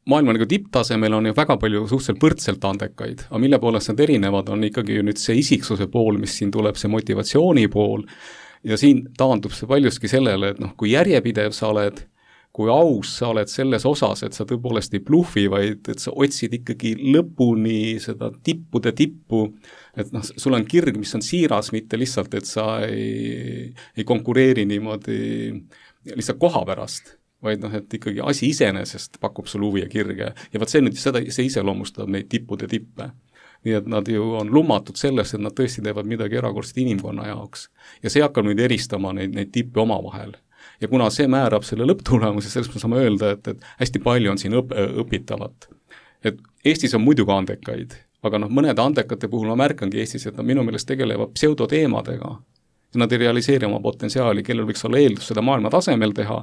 maailma nagu tipptasemel on ju väga palju suhteliselt võrdselt andekaid, aga mille poolest nad erinevad, on ikkagi ju nüüd see isiksuse pool, mis siin tuleb, see motivatsiooni pool, ja siin taandub see paljuski sellele, et kui järjepidev sa oled, kui aus sa oled selles osas, et sa tõepoolest ei bluffi, vaid et sa otsid ikkagi lõpuni seda tippude tippu, et sul on kirg, mis on siiras, mitte lihtsalt, et sa ei konkureeri niimoodi lihtsalt koha pärast, vaid et ikkagi asi iseenesest pakub sul huvi ja kirge. Ja see nüüd see iseloomustab neid tippude tippe. Nii et nad ju on lummatud sellest, et nad tõesti teevad midagi erakordset inimkonna jaoks. Ja see hakkab nüüd eristama neid tippe omavahel. Ja kuna see määrab selle lõpptulemuse, sellest me saame öelda, et hästi palju on siin õpitavat. Et Eestis on muidugi andekaid, aga mõnede andekate puhul ma märkangi Eestis, et nad minu meelest tegelevad pseudoteemadega. Ja nad ei realiseeri oma potentsiaali, kellel võiks olla eeldus seda maailma tasemel teha.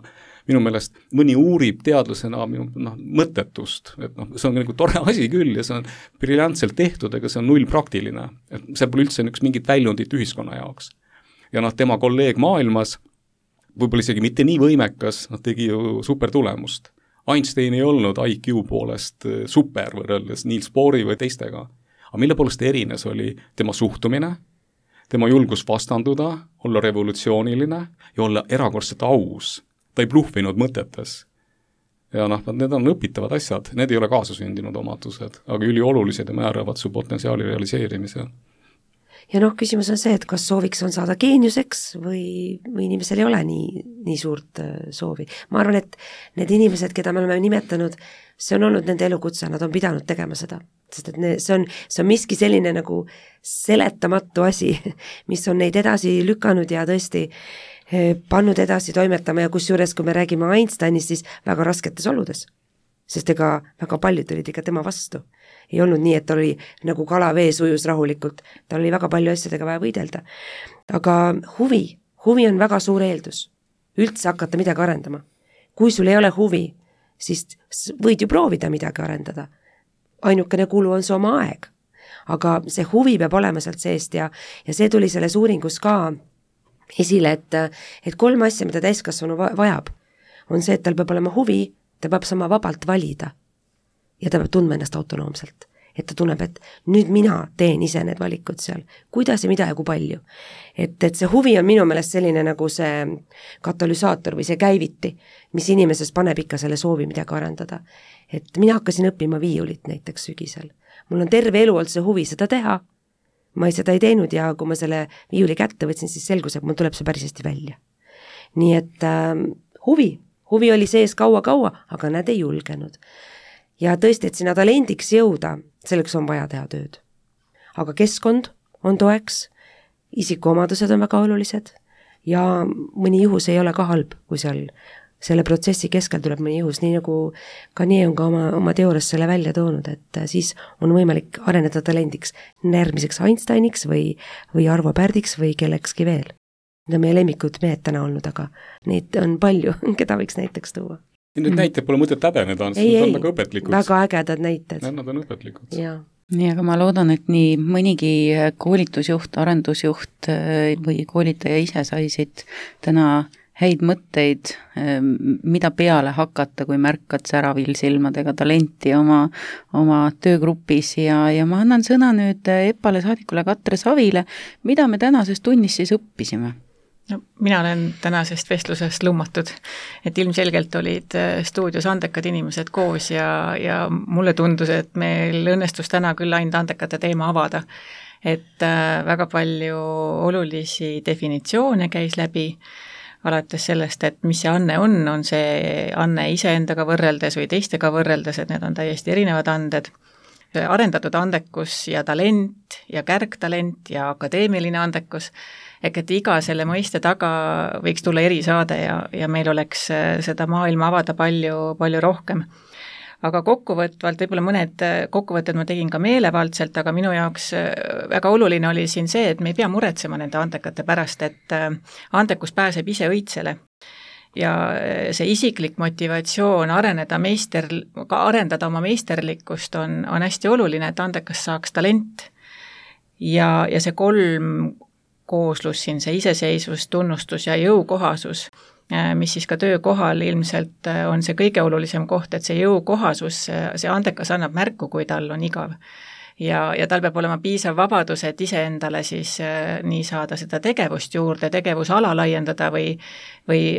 Minu meelest mõni uurib teadlasena mõttetust, et see on nagu tore asi küll ja see on briljantselt tehtud, ega see on null praktiline. Et see pole üldse mingit väljundit ühiskonna jaoks. Ja tema kolleeg maailmas, võib-olla isegi mitte nii võimekas, tegi ju super tulemust. Einstein ei olnud IQ poolest super võrreldes Niels Bohri või teistega. Aga mille poolest erines oli tema suhtumine, tema julgus vastanduda, olla revolutsiooniline ja olla erakordselt aus. Ta ei bluhvinud mõtetes. Ja need on õpitavad asjad, need ei ole kaasasündinud omadused, aga üliolulised ja määravad su potentsiaali realiseerimisel. Ja küsimus on see, et kas sooviks on saada geeniuseks või inimesel ei ole nii suurt soovi. Ma arvan, et need inimesed, keda me oleme nimetanud, see on olnud nende elukutse, nad on pidanud tegema seda. Sest et see on miski selline nagu seletamatu asi, mis on neid edasi lükanud ja tõesti pannud edasi toimetama ja kusjuures, kui me räägime Einsteinist, siis väga rasketes oludes. Sest ega väga paljud olid ikka tema vastu. Ei olnud nii, et ta oli nagu kala vees ujus rahulikult. Ta oli väga palju asjadega vaja võidelda. Aga huvi on väga suur eeldus. Üldse hakata midagi arendama. Kui sul ei ole huvi, siis võid ju proovida midagi arendada. Ainukene kulu on see oma aeg. Aga see huvi peab olema sealt seest ja see tuli selles uuringus ka esile, et 3 asja, mida täiskasvanu vajab, on see, et tal peab olema huvi, ta peab sama vabalt valida ja ta peab tundma ennast autonoomselt, et ta tunneb, et nüüd mina teen ise need valikud seal, kuidas ja mida ja kui palju. Et see huvi on minu meelest selline nagu see katalüsaator või see käiviti, mis inimeses paneb ikka selle soovi midagi arendada. Et mina hakkasin õppima viiulit näiteks sügisel. Mul on terve elu olnud see huvi seda teha. Ma seda ei teinud ja kui ma selle viiuli kätte võtsin, siis selgus, et mul tuleb see päris hästi välja. Nii et huvi oli sees kaua, aga nad ei julgenud. Ja tõesti, et sinna talendiks jõuda, selleks on vaja teha tööd. Aga keskkond on toeks, isikuomadused on väga olulised ja mõni juhus ei ole ka halb, kui seal selle protsessi keskel tuleb mõni juhus, nii nagu ka nii on ka oma teoorias selle välja toonud, et siis on võimalik areneda talendiks järgmiseks Einsteiniks või Arvo Pärdiks või kellekski veel. Need on meie lemmikud mehed täna olnud, aga neid on palju, keda võiks näiteks tuua. Need näited pole mõtet häbeneda, need on väga õpetlikud. Väga ägedad näited. Nad on õpetlikud. Nii, aga ma loodan, et nii mõnigi koolitusjuht, arendusjuht või koolitaja ise saisid täna häid mõtteid, mida peale hakata, kui märkad säravil silmadega talenti oma töögrupis ja ma annan sõna nüüd EPALE saadikule Katre Savile, mida me tänases tunnis siis õppisime? No, mina olen tänasest vestlusest lummatud, et ilmselgelt olid stuudios andekad inimesed koos ja mulle tundus, et meil õnnestus täna küll ainult andekate teema avada, et väga palju olulisi definitsioone käis läbi, alates sellest, et mis see anne on see anne iseendaga võrreldes või teistega võrreldes, et need on täiesti erinevad anded. Arendatud andekus ja talent ja kärgtalent ja akadeemiline andekus, et iga selle mõiste taga võiks tulla erisaade ja meil oleks seda maailma avada palju, palju rohkem. Aga kokkuvõtvalt, võib-olla mõned kokkuvõtted ma tegin ka meelevaldselt, aga minu jaoks väga oluline oli siin see, et me ei pea muretsema nende andekate pärast, et andekus pääseb ise õitsele. Ja see isiklik motivatsioon arendada oma meisterlikkust on hästi oluline, et andekas saaks talent. Ja see 3 kooslus siin, see iseseisvus, tunnustus ja jõukohasus, mis siis ka töökohal ilmselt on see kõige olulisem koht, et see jõukohasus, see andekas annab märku, kui tal on igav. Ja tal peab olema piisav vabadus, et iseendale siis nii saada seda tegevust juurde, tegevusala laiendada või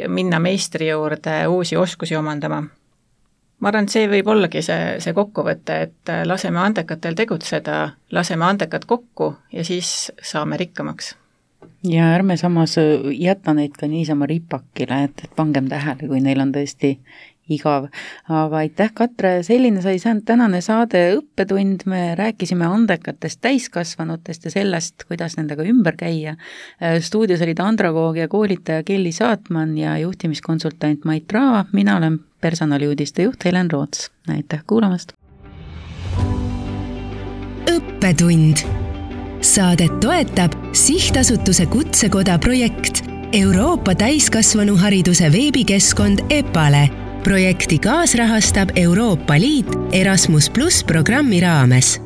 minna meistri juurde uusi oskusi omandama. Ma arvan, et see võib ollagi see kokkuvõte, et laseme andekatel tegutseda, laseme andekad kokku ja siis saame rikkamaks. Ja ärme samas jätta neid ka niisama ripakile, et pangem tähele, kui neil on tõesti igav. Aga aitäh, Katre, selline sai tänane saade õppetund, me rääkisime andekatest täiskasvanutest ja sellest, kuidas nendega ümber käia. Stuudios olid andragoog ja koolitaja Kelly Saatman ja juhtimiskonsultant Mait Raava, mina olen personaliuudiste juht Helen Roots. Aitäh kuulamast! Õppetund. Saadet toetab Sihtasutuse Kutsekoda projekt Euroopa täiskasvanuhariduse veebikeskkond EPALE. Projekti kaasrahastab Euroopa Liit Erasmus+ programmi raames.